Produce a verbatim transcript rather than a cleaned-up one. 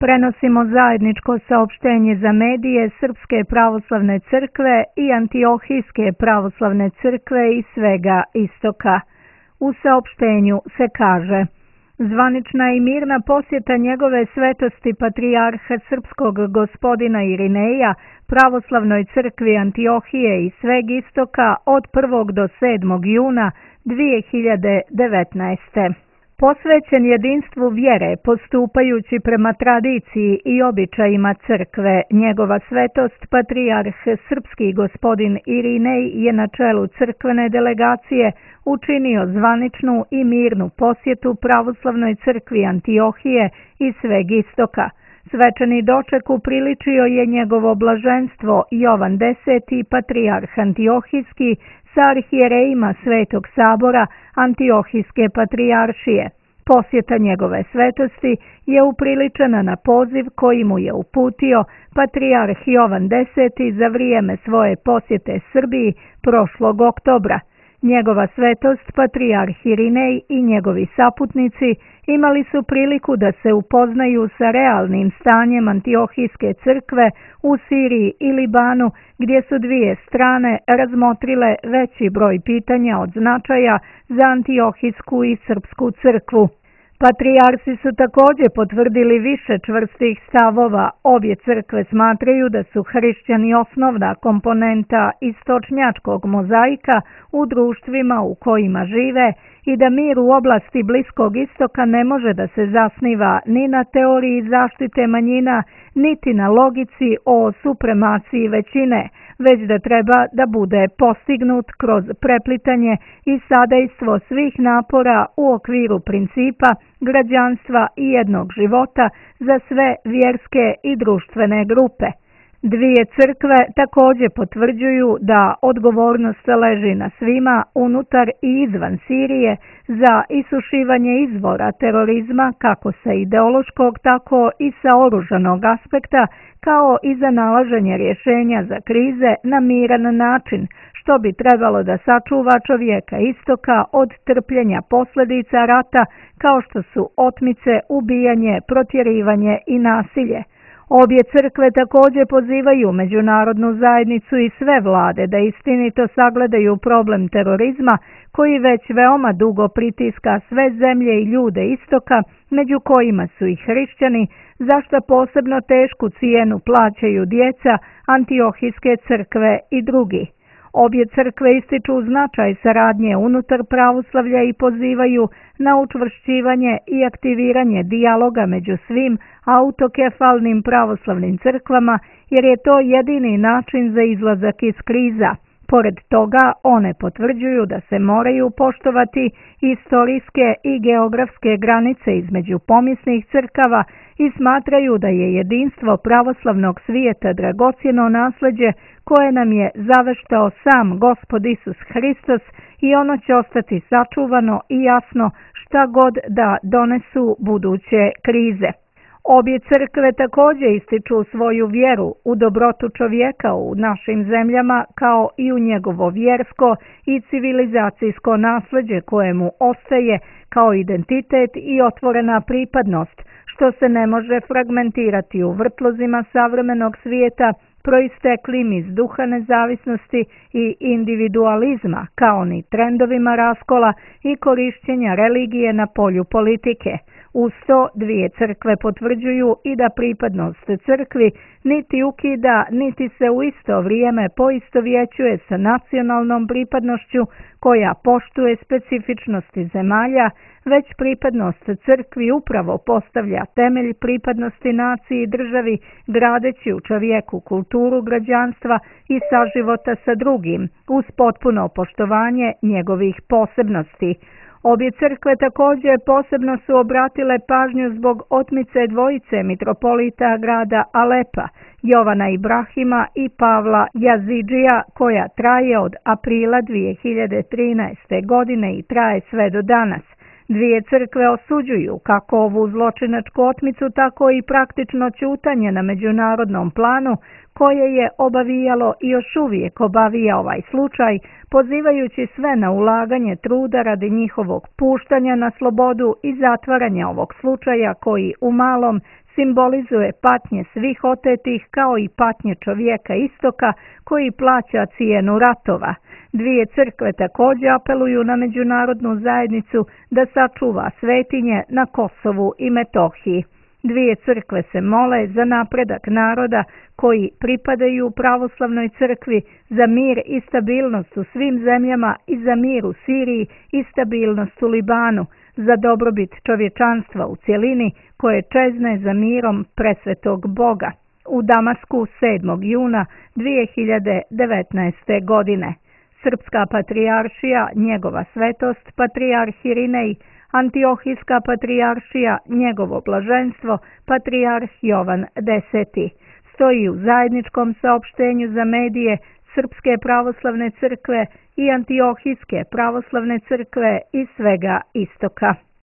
Prenosimo zajedničko saopštenje za medije Srpske pravoslavne crkve i Antiohijske pravoslavne crkve iz svega istoka. U saopštenju se kaže: zvanična i mirna posjeta njegove svetosti patrijarha srpskog gospodina Irineja pravoslavnoj crkvi Antiohije i sveg istoka od prvog do sedmog juna dvije hiljade devetnaeste. Posvećen jedinstvu vjere, postupajući prema tradiciji i običajima crkve, njegova svetost patrijarh srpski gospodin Irinej je na čelu crkvene delegacije učinio zvaničnu i mirnu posjetu pravoslavnoj crkvi Antiohije i sveg istoka. Svečani doček upriličio je njegovo blaženstvo Jovan Deseti, patrijarh Antiohijski, sa arhijerejima Svetog sabora Antiohijske patrijaršije. Posjeta njegove svetosti je upriličena na poziv koji mu je uputio patrijarh Jovan Deseti za vrijeme svoje posjete Srbiji prošlog oktobra. Njegova svetost patrijarh Irinej i njegovi saputnici imali su priliku da se upoznaju sa realnim stanjem Antiohijske crkve u Siriji i Libanu, gdje su dvije strane razmotrile veći broj pitanja od značaja za Antiohijsku i Srpsku crkvu. Patrijarsi su također potvrdili više čvrstih stavova. Obje crkve smatraju da su hrišćani osnovna komponenta istočnjačkog mozaika u društvima u kojima žive i da mir u oblasti Bliskog istoka ne može da se zasniva ni na teoriji zaštite manjina, niti na logici o supremaciji većine, već da treba da bude postignut kroz preplitanje i sadejstvo svih napora u okviru principa građanstva i jednog života za sve vjerske i društvene grupe. Dvije crkve također potvrđuju da odgovornost leži na svima unutar i izvan Sirije za isušivanje izvora terorizma kako sa ideološkog tako i sa oružanog aspekta, kao i za nalaženje rješenja za krize na miran način, što bi trebalo da sačuva čovjeka istoka od trpljenja posljedica rata kao što su otmice, ubijanje, protjerivanje i nasilje. Obje crkve također pozivaju međunarodnu zajednicu i sve vlade da istinito sagledaju problem terorizma koji već veoma dugo pritiska sve zemlje i ljude istoka, među kojima su i hrišćani, za što posebno tešku cijenu plaćaju djeca Antiohijske crkve i drugi. Obje crkve ističu značaj saradnje unutar pravoslavlja i pozivaju na učvršćivanje i aktiviranje dijaloga među svim autokefalnim pravoslavnim crkvama, jer je to jedini način za izlazak iz kriza. Pored toga, one potvrđuju da se moraju poštovati istorijske i geografske granice između pomisnih crkava i smatraju da je jedinstvo pravoslavnog svijeta dragocjeno nasljeđe koje nam je zaveštao sam Gospod Isus Hristos i ono će ostati sačuvano i jasno šta god da donesu buduće krize. Obje crkve također ističu svoju vjeru u dobrotu čovjeka u našim zemljama kao i u njegovo vjersko i civilizacijsko nasljeđe kojemu ostaje kao identitet i otvorena pripadnost, što se ne može fragmentirati u vrtlozima savremenog svijeta proisteklim iz duha nezavisnosti i individualizma, kao ni trendovima raskola i korišćenja religije na polju politike. Uz to dvije crkve potvrđuju i da pripadnost crkvi niti ukida, niti se u isto vrijeme poistovjećuje sa nacionalnom pripadnošću koja poštuje specifičnosti zemalja, već pripadnost crkvi upravo postavlja temelj pripadnosti naciji i državi, gradeći u čovjeku kulturu građanstva i saživota sa drugim, uz potpuno poštovanje njegovih posebnosti. Obje crkve također posebno su obratile pažnju zbog otmice dvojice mitropolita grada Alepa, Jovana Ibrahima i Pavla Jazidžija, koja traje od aprila dvije hiljade trinaeste. godine i traje sve do danas. Dvije crkve osuđuju kako ovu zločinačku otmicu, tako i praktično ćutanje na međunarodnom planu koje je obavijalo i još uvijek obavija ovaj slučaj, pozivajući sve na ulaganje truda radi njihovog puštanja na slobodu i zatvaranja ovog slučaja koji u malom simbolizuje patnje svih otetih kao i patnje čovjeka istoka koji plaća cijenu ratova. Dvije crkve također apeluju na međunarodnu zajednicu da sačuva svetinje na Kosovu i Metohiji. Dvije crkve se mole za napredak naroda koji pripadaju pravoslavnoj crkvi, za mir i stabilnost u svim zemljama i za mir u Siriji i stabilnost u Libanu, za dobrobit čovječanstva u cjelini koje čezne za mirom presvetog Boga. U Damasku sedmog juna dvije hiljade devetnaeste. godine. Srpska patrijaršija, njegova svetost, patrijarh Irinej, Antiohijska patrijaršija, njegovo blaženstvo, patrijarh Jovan Deseti. Stoji u zajedničkom saopštenju za medije Srpske pravoslavne crkve i Antiohijske pravoslavne crkve iz svega istoka.